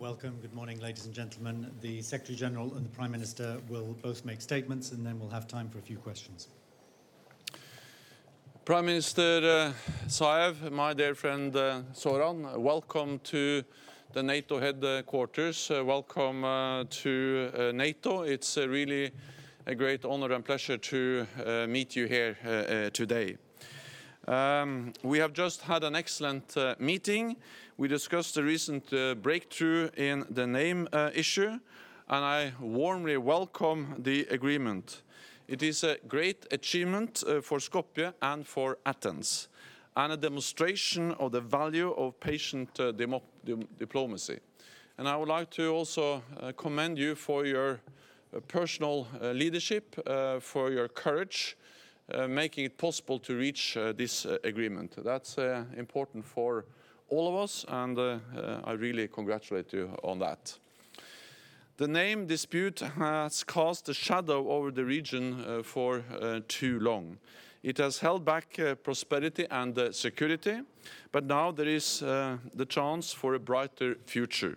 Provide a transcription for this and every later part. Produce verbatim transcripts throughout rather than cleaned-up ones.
Welcome. Good morning, ladies and gentlemen. The Secretary-General and the Prime Minister will both make statements, and then we'll have time for a few questions. Prime Minister uh, Zaev, my dear friend uh, Zoran, welcome to the NATO headquarters. Uh, welcome uh, to uh, NATO. It's uh, really a great honor and pleasure to uh, meet you here uh, uh, today. Um, we have just had an excellent uh, meeting. We discussed the recent uh, breakthrough in the name uh, issue, and I warmly welcome the agreement. It is a great achievement uh, for Skopje and for Athens, and a demonstration of the value of patient uh, demo diplomacy. And I would like to also uh, commend you for your uh, personal uh, leadership, uh, for your courage, Uh, making it possible to reach uh, this uh, agreement. That's uh, important for all of us, and uh, uh, I really congratulate you on that. The name dispute has cast a shadow over the region uh, for uh, too long. It has held back uh, prosperity and uh, security, but now there is uh, the chance for a brighter future.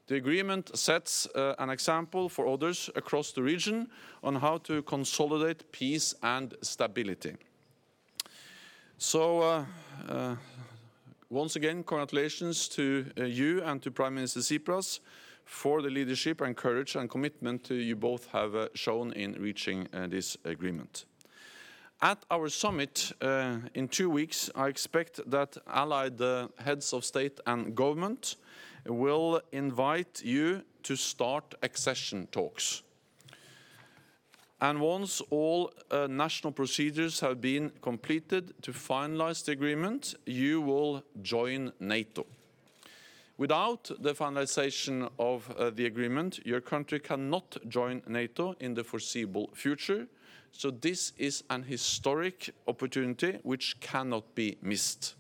The agreement sets uh, an example for others across the region on how to consolidate peace and stability. So, uh, uh, once again, congratulations to uh, you and to Prime Minister Tsipras for the leadership and courage and commitment uh, you both have uh, shown in reaching uh, this agreement. At our summit uh, in two weeks, I expect that allied uh, heads of state and government will invite you to start accession talks. And once all uh, national procedures have been completed to finalize the agreement, you will join NATO. Without the finalization of uh, the agreement, your country cannot join NATO in the foreseeable future. So this is an historic opportunity which cannot be missed.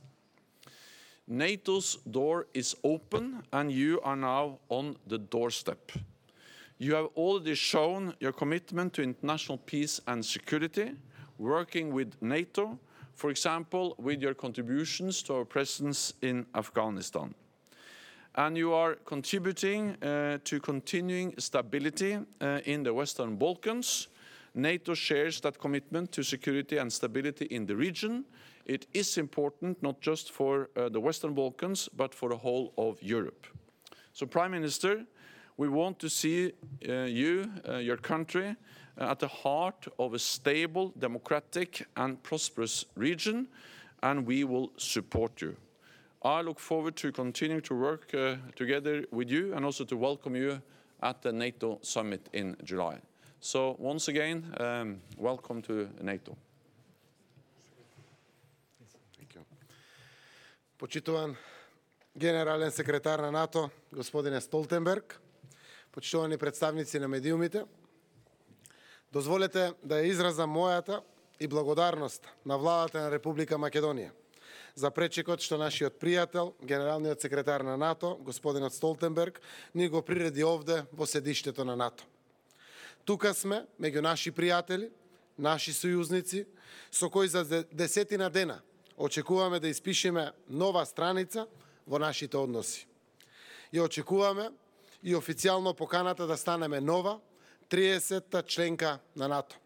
NATO's door is open, and you are now on the doorstep. You have already shown your commitment to international peace and security, working with NATO, for example, with your contributions to our presence in Afghanistan. And you are contributing uh, to continuing stability uh, in the Western Balkans. NATO shares that commitment to security and stability in the region. It is important not just for uh, the Western Balkans, but for the whole of Europe. So, Prime Minister, we want to see uh, you, uh, your country, uh, at the heart of a stable, democratic and prosperous region, and we will support you. I look forward to continuing to work uh, together with you and also to welcome you at the NATO summit in July. So, once again, um, welcome to NATO. Почитуван генерален секретар на НАТО, господине Столтенберг, почитувани представници на медиумите, дозволете да ја изразам мојата и благодарност на владата на Република Македонија за пречекот што нашиот пријател, генералниот секретар на НАТО, господинот Столтенберг, ни го приреди овде во седиштето на НАТО. Тука сме меѓу наши пријатели, наши сојузници, со кои за десетина дена очекуваме да испишеме нова страница во нашите односи. И очекуваме и официјално поканата да станеме нова, триесетта членка на НАТО.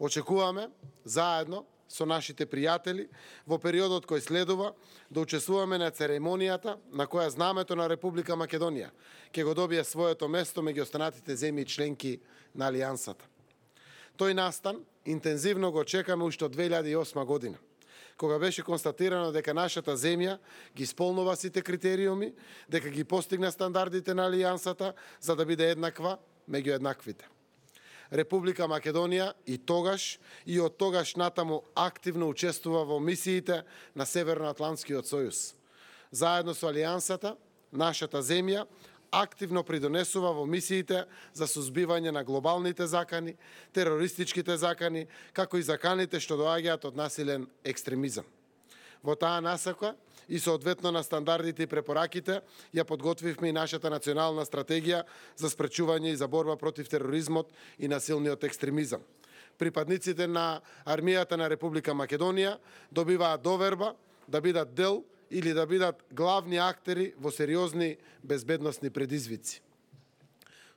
Очекуваме заедно со нашите пријатели во периодот кој следува да учествуваме на церемонијата на која знамето на Република Македонија ќе го добие своето место меѓу останатите земји членки на Алијансата. Тој настан интензивно го чекаме уште од две илјади и осма година, кога беше констатирано дека нашата земја ги исполнува сите критериуми, дека ги постигна стандардите на Алијансата за да биде еднаква меѓу еднаквите. Република Македонија и тогаш и од тогаш натаму активно учествува во мисиите на Северноатлантскиот сојуз. Заедно со Алијансата, нашата земја активно придонесува во мисиите за сузбивање на глобалните закани, терористичките закани, како и заканите што доаѓаат од насилен екстремизам. Во таа насока и соодветно на стандардите и препораките ја подготвивме и нашата национална стратегија за спречување и за борба против тероризмот и насилниот екстремизам. Припадниците на армијата на Република Македонија добиваат доверба да бидат дел или да бидат главни актери во сериозни безбедносни предизвици.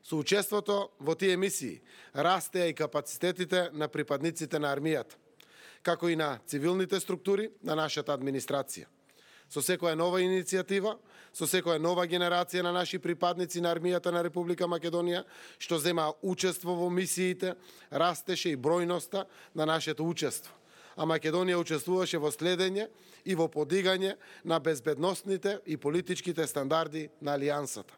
Со учеството во тие мисии растеа и капацитетите на припадниците на армијата, како и на цивилните структури на нашата администрација. Со секоја нова иницијатива, со секоја нова генерација на наши припадници на армијата на Република Македонија, што земаа учество во мисиите, растеше и бројноста на нашето учество. А Македонија учествуваше во следење и во подигање на безбедносните и политичките стандарди на Алијансата.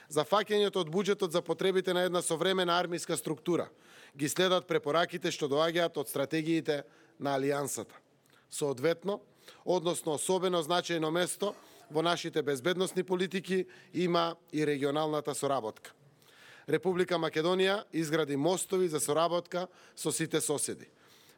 За фаќањето од буџетот за потребите на една современа армиска структура ги следат препораките што доаѓаат од стратегиите на Алијансата. Соодветно, односно особено значајно место во нашите безбедносни политики има и регионалната соработка. Република Македонија изгради мостови за соработка со сите соседи.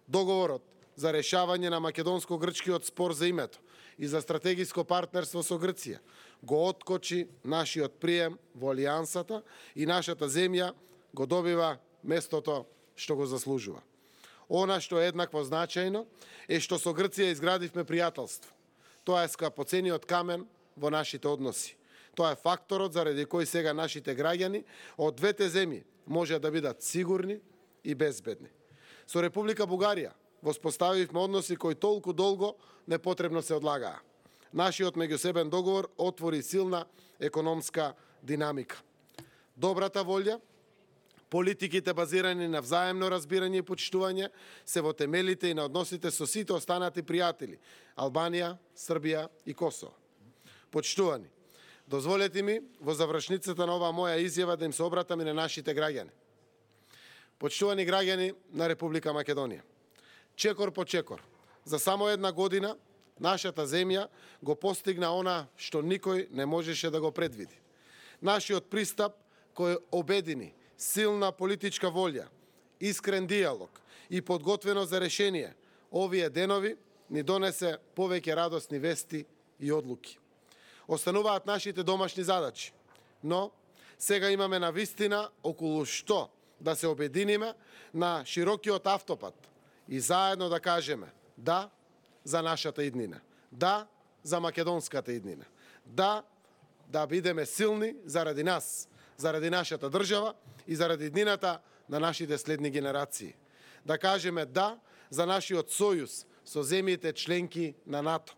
Договорот за решавање на македонско-грчкиот спор за името и за стратегиско партнерство со Грција го откочи нашиот прием во Алијансата и нашата земја го добива местото што го заслужува. Она што е еднакво значајно е што со Грција изградивме пријателство. Тоа е скапоцениот камен во нашите односи. Тоа е факторот заради кој сега нашите граѓани од двете земји може да бидат сигурни и безбедни. Со Република Бугарија воспоставивме односи кои толку долго непотребно се одлагаа. Нашиот меѓусебен договор отвори силна економска динамика. Добрата волја, политиките базирани на взаемно разбирање и почитување се во темелите и на односите со сите останати пријатели Албанија, Србија и Косово. Почитувани, дозволете ми во завршницата на оваа моја изјава да им се обратам и на нашите граѓани. Почитувани граѓани на Република Македонија, чекор по чекор, за само една година нашата земја го постигна она што никој не можеше да го предвиди. Нашиот пристап кој обедини силна политичка волја, искрен диалог и подготвеност за решение, овие денови ни донесе повеќе радосни вести и одлуки. Остануваат нашите домашни задачи, но сега имаме навистина околу што да се обединиме на широкиот автопат и заедно да кажеме да за нашата иднина, да за македонската иднина, да да бидеме силни заради нас, заради нашата држава и заради иднината на нашите следни генерации. Да кажеме да за нашиот сојуз со земјите членки на НАТО.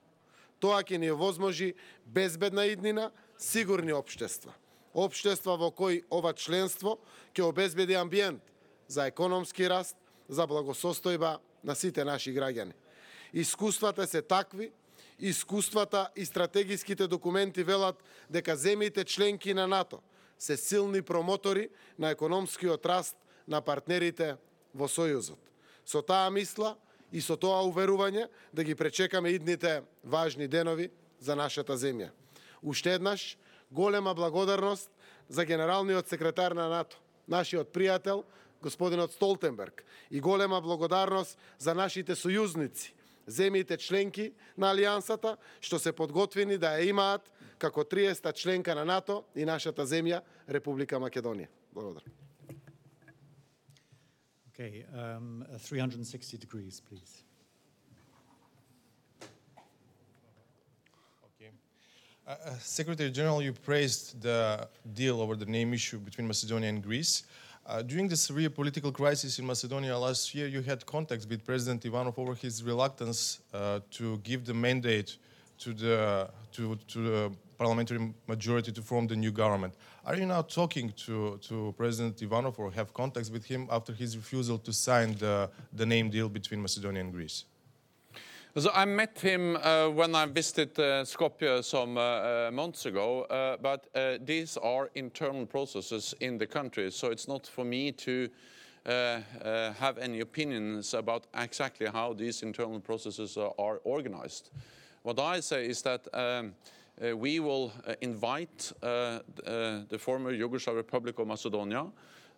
Тоа ќе ни овозможи безбедна иднина, сигурни општества. Општества во кои ова членство ќе обезбеди амбиент за економски раст, за благосостојба на сите наши граѓани. Искуствата се такви, искуствата и стратегиските документи велат дека земјите членки на НАТО се силни промотори на економскиот раст на партнерите во Сојузот. Со таа мисла и со тоа уверување да ги пречекаме идните важни денови за нашата земја. Уште еднаш, голема благодарност за генералниот секретар на НАТО, нашиот пријател, господинот Столтенберг, и голема благодарност за нашите сојузници, земјите членки на Алијансата, што се подготвени да ја имаат како триесета членка на НАТО и нашата земја, Република Македонија. Благодарам. Okay, um, three hundred sixty degrees, please. Okay. Uh, uh, Secretary General, you praised the deal over the name issue between Macedonia and Greece. Uh, during the Syria political crisis in Macedonia last year, you had contacts with President Ivanov over his reluctance uh, to give the mandate to the to, to the parliamentary majority to form the new government. Are you now talking to, to President Ivanov or have contacts with him after his refusal to sign the, the name deal between Macedonia and Greece? So I met him uh, when I visited uh, Skopje some uh, uh, months ago, uh, but uh, these are internal processes in the country, so it's not for me to uh, uh, have any opinions about exactly how these internal processes are, are organized. What I say is that um, uh, we will uh, invite uh, uh, the former Yugoslav Republic of Macedonia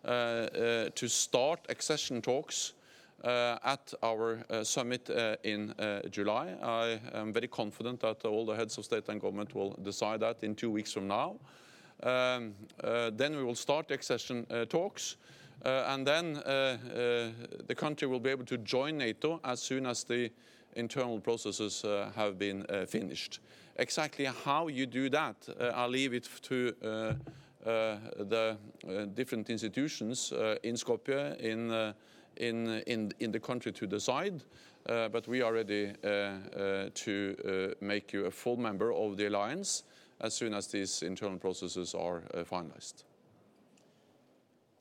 uh, uh, to start accession talks Uh, at our uh, summit uh, in uh, July. I am very confident that all the heads of state and government will decide that in two weeks from now. Um, uh, then we will start the accession uh, talks, uh, and then uh, uh, the country will be able to join NATO as soon as the internal processes uh, have been uh, finished. Exactly how you do that, uh, I'll leave it to uh, uh, the uh, different institutions uh, in Skopje, in, uh, in, in, in the country to decide. Uh, but we are ready uh, uh, to uh, make you a full member of the alliance as soon as these internal processes are uh, finalized.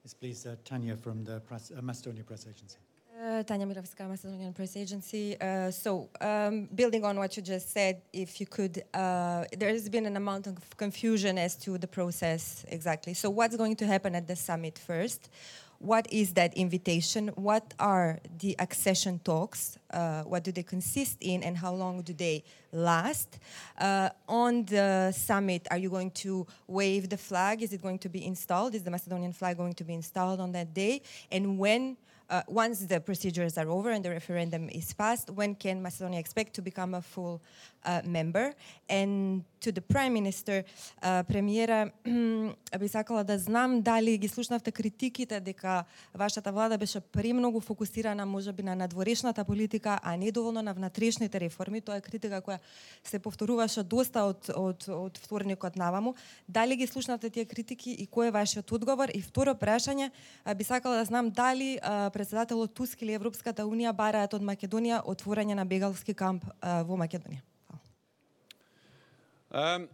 Yes, please, uh, Tanya from the press, uh, Macedonia Press Agency. Uh, Tanya Mirovska, Macedonian Press Agency. Uh, so, um, building on what you just said, if you could, uh, there has been an amount of confusion as to the process exactly. So, what's going to happen at the summit first? What is that invitation? What are the accession talks? Uh, what do they consist in, and how long do they last? Uh, on the summit, are you going to wave the flag? Is it going to be installed? Is the Macedonian flag going to be installed on that day? And when, uh, once the procedures are over and the referendum is passed, when can Macedonia expect to become a full uh, member? And to the Prime Minister, uh, премиера, би сакала да знам дали ги слушнавте критиките дека вашата влада беше премногу фокусирана можеби на надворешната политика, а не доволно на внатрешните реформи. Тоа е критика која се повторуваше доста од од од вторникот наваму. Дали ги слушнавте тие критики и кој е вашиот одговор? И второ прашање, би сакала да знам дали председателот Туск или Европската унија бараат од Македонија отворање на бегалски камп во Македонија. Um,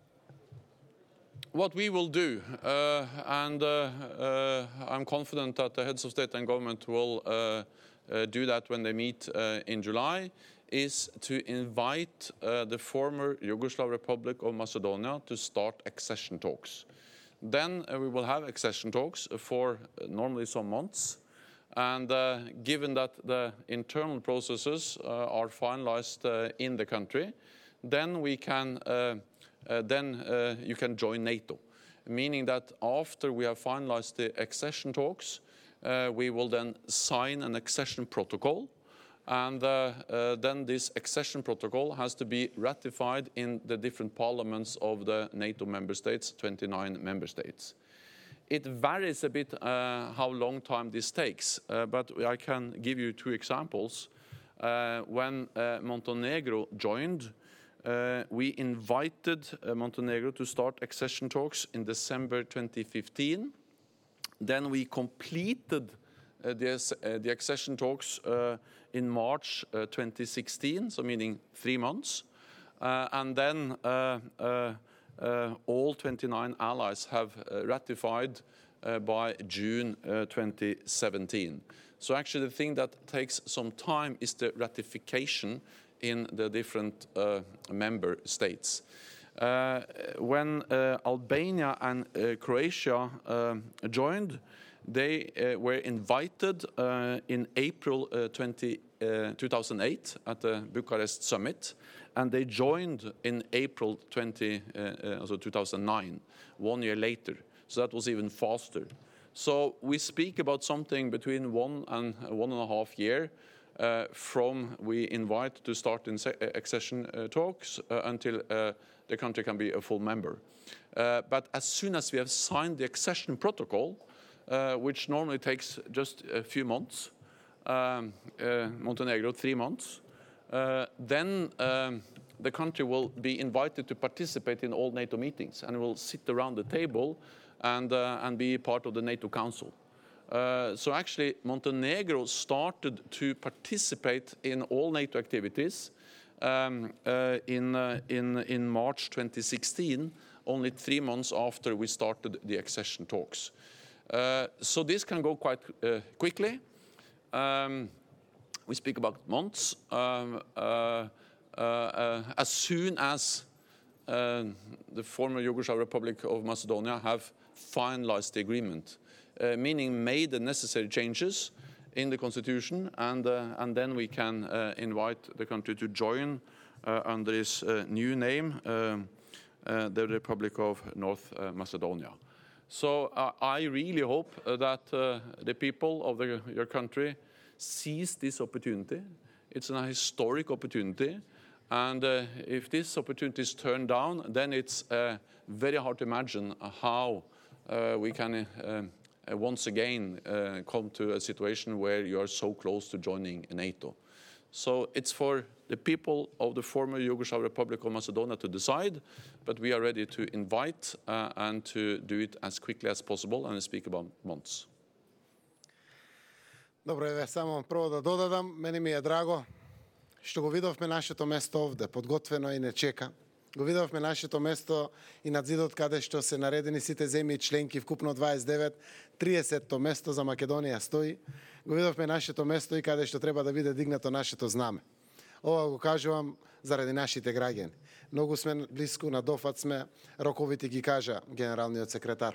what we will do, uh, and uh, uh, I'm confident that the heads of state and government will uh, uh, do that when they meet uh, in July, is to invite uh, the former Yugoslav Republic of Macedonia to start accession talks. Then uh, we will have accession talks for uh, normally some months. And uh, given that the internal processes uh, are finalized uh, in the country, then we can uh, Uh, then uh, you can join NATO, meaning that after we have finalized the accession talks, uh, we will then sign an accession protocol, and uh, uh, then this accession protocol has to be ratified in the different parliaments of the NATO member states, twenty-nine member states. It varies a bit uh, how long time this takes, uh, but I can give you two examples. Uh, when uh, Montenegro joined, Uh, we invited uh, Montenegro to start accession talks in December twenty fifteen. Then we completed uh, the, uh, the accession talks uh, in March uh, twenty sixteen, so meaning three months. Uh, and then uh, uh, uh, all twenty-nine allies have uh, ratified uh, by June uh, twenty seventeen. So actually the thing that takes some time is the ratification in the different uh, member states. Uh, when uh, Albania and uh, Croatia uh, joined, they uh, were invited uh, in April uh, twenty, uh, two thousand eight at the Bucharest summit, and they joined in April twenty, uh, uh, so two thousand nine, one year later. So that was even faster. So we speak about something between one and one and a half year Uh, from we invite to start in accession uh, talks uh, until uh, the country can be a full member. Uh, but as soon as we have signed the accession protocol, uh, which normally takes just a few months, um, uh, Montenegro three months, uh, then um, the country will be invited to participate in all NATO meetings and will sit around the table and, uh, and be part of the NATO Council. Uh, so actually, Montenegro started to participate in all NATO activities um, uh, in, uh, in, in March twenty sixteen, only three months after we started the accession talks. Uh, so this can go quite uh, quickly. Um, we speak about months. Um, uh, uh, uh, as soon as uh, the former Yugoslav Republic of Macedonia have finalized the agreement, Uh, meaning made the necessary changes in the constitution, and, uh, and then we can uh, invite the country to join uh, under its uh, new name, uh, uh, the Republic of North uh, Macedonia. So uh, I really hope uh, that uh, the people of the, your country seize this opportunity. It's a historic opportunity, and uh, if this opportunity is turned down, then it's uh, very hard to imagine how uh, we can uh, Uh, once again uh, come to a situation where you are so close to joining NATO. So it's for the people of the former Yugoslav Republic of Macedonia to decide, but we are ready to invite uh, and to do it as quickly as possible, and speak about months. Добро, еве само прво да додадам, мене ми е драго што го видовме нашето место овде, подготвено и не чека. Го видовме нашето место и над зидот каде што се наредени сите земји членки, вкупно дваесет и девет, триесетто место за Македонија стои. Го видовме нашето место и каде што треба да биде дигнато нашето знаме. Ова го кажувам заради нашите граѓани. Многу сме близко, на дофат сме, роковите ги кажа генералниот секретар.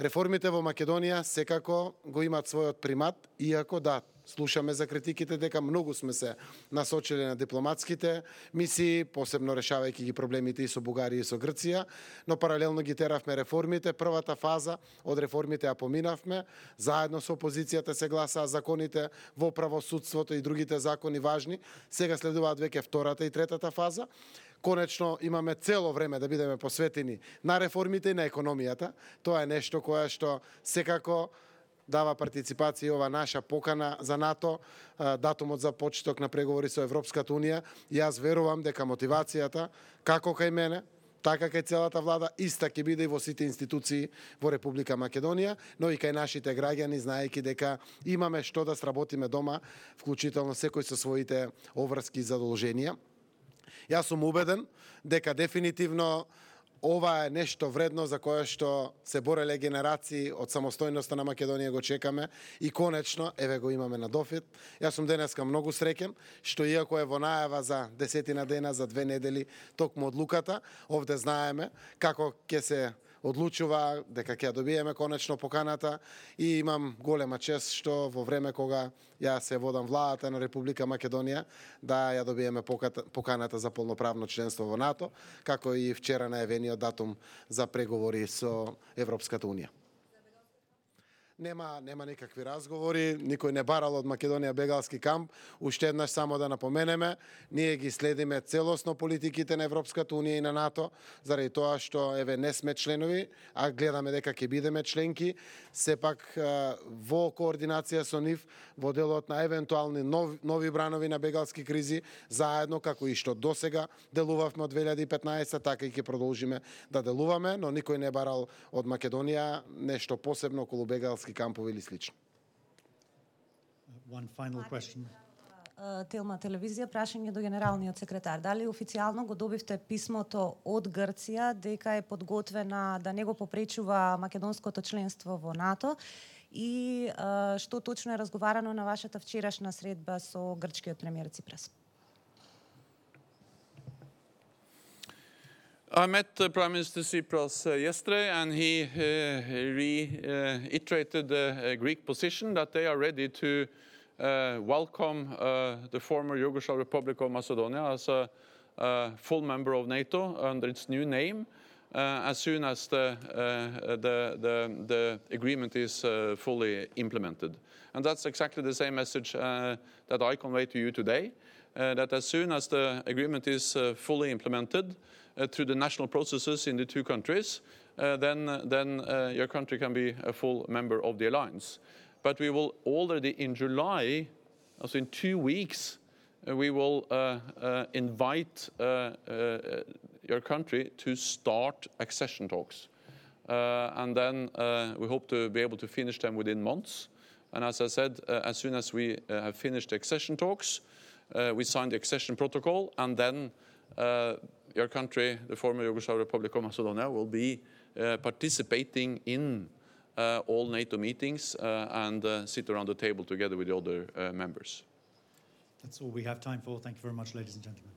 Реформите во Македонија секако го имаат својот примат, иако да, слушаме за критиките дека многу сме се насочили на дипломатските мисии, посебно решавајќи ги проблемите и со Бугарија и со Грција, но паралелно ги теравме реформите. Првата фаза од реформите ја поминавме, заедно со опозицијата се гласаа законите во правосудството и другите закони важни. Сега следуваат веќе втората и третата фаза. Конечно имаме цело време да бидеме посветени на реформите и на економијата. Тоа е нешто кое што секако дава партиципација ова наша покана за НАТО, датумот за почеток на преговори со Европската Унија. Јас верувам дека мотивацијата, како кај мене, така кај целата влада, иста ќе биде и во сите институции во Република Македонија, но и кај нашите граѓани, знаејќи дека имаме што да сработиме дома, вклучително секој со своите обврски и задолженија. Јас сум убеден дека дефинитивно ова е нешто вредно за кое што се бореле генерации од самостојноста на Македонија, го чекаме и конечно еве го имаме на дофит. Јас сум денеска многу среќен што иако е во најава за десетина дена, за две недели токму одлуката, овде знаеме како ќе се одлучува, дека ќе ја добиеме конечно поканата и имам голема чест што во време кога ја се водам владата на Република Македонија да ја добиеме поканата за полноправно членство во НАТО, како и вчера најавениот датум за преговори со Европската Унија. Нема, нема никакви разговори, никој не барал од Македонија бегалски камп. Уште еднаш само да напоменеме, ние ги следиме целосно политиките на Европската Унија и на НАТО, заради тоа што еве не сме членови, а гледаме дека ќе бидеме членки. Сепак во координација со нив, во делот на евентуални нови, нови бранови на бегалски кризи, заедно како и што досега делувавме од две илјади и петнаесетта, така и ќе продолжиме да делуваме, но никој не барал од Македонија нешто посебно околу бегалски кампови или слично. One final question. Телма телевизија, прашање до генералниот секретар. Дали официјално го добивте писмото од Грција дека е подготвена да не го попречува македонското членство во НАТО и што точно е разговарано на вашата вчерашна средба со грчкиот премиер Ципрас? I met uh, Prime Minister Tsipras uh, yesterday, and he uh, reiterated the uh, Greek position that they are ready to uh, welcome uh, the former Yugoslav Republic of Macedonia as a, a full member of NATO under its new name uh, as soon as the, uh, the, the, the agreement is uh, fully implemented. And that's exactly the same message uh, that I convey to you today, uh, that as soon as the agreement is uh, fully implemented, Uh, through the national processes in the two countries, uh, then, uh, then uh, your country can be a full member of the alliance. But we will already in July, also in two weeks, uh, we will uh, uh, invite uh, uh, your country to start accession talks. Uh, and then uh, we hope to be able to finish them within months. And as I said, uh, as soon as we uh, have finished the accession talks, uh, we sign the accession protocol, and then uh, your country, the former Yugoslav Republic of Macedonia, will be uh, participating in uh, all NATO meetings uh, and uh, sit around the table together with the other uh, members. That's all we have time for. Thank you very much, ladies and gentlemen.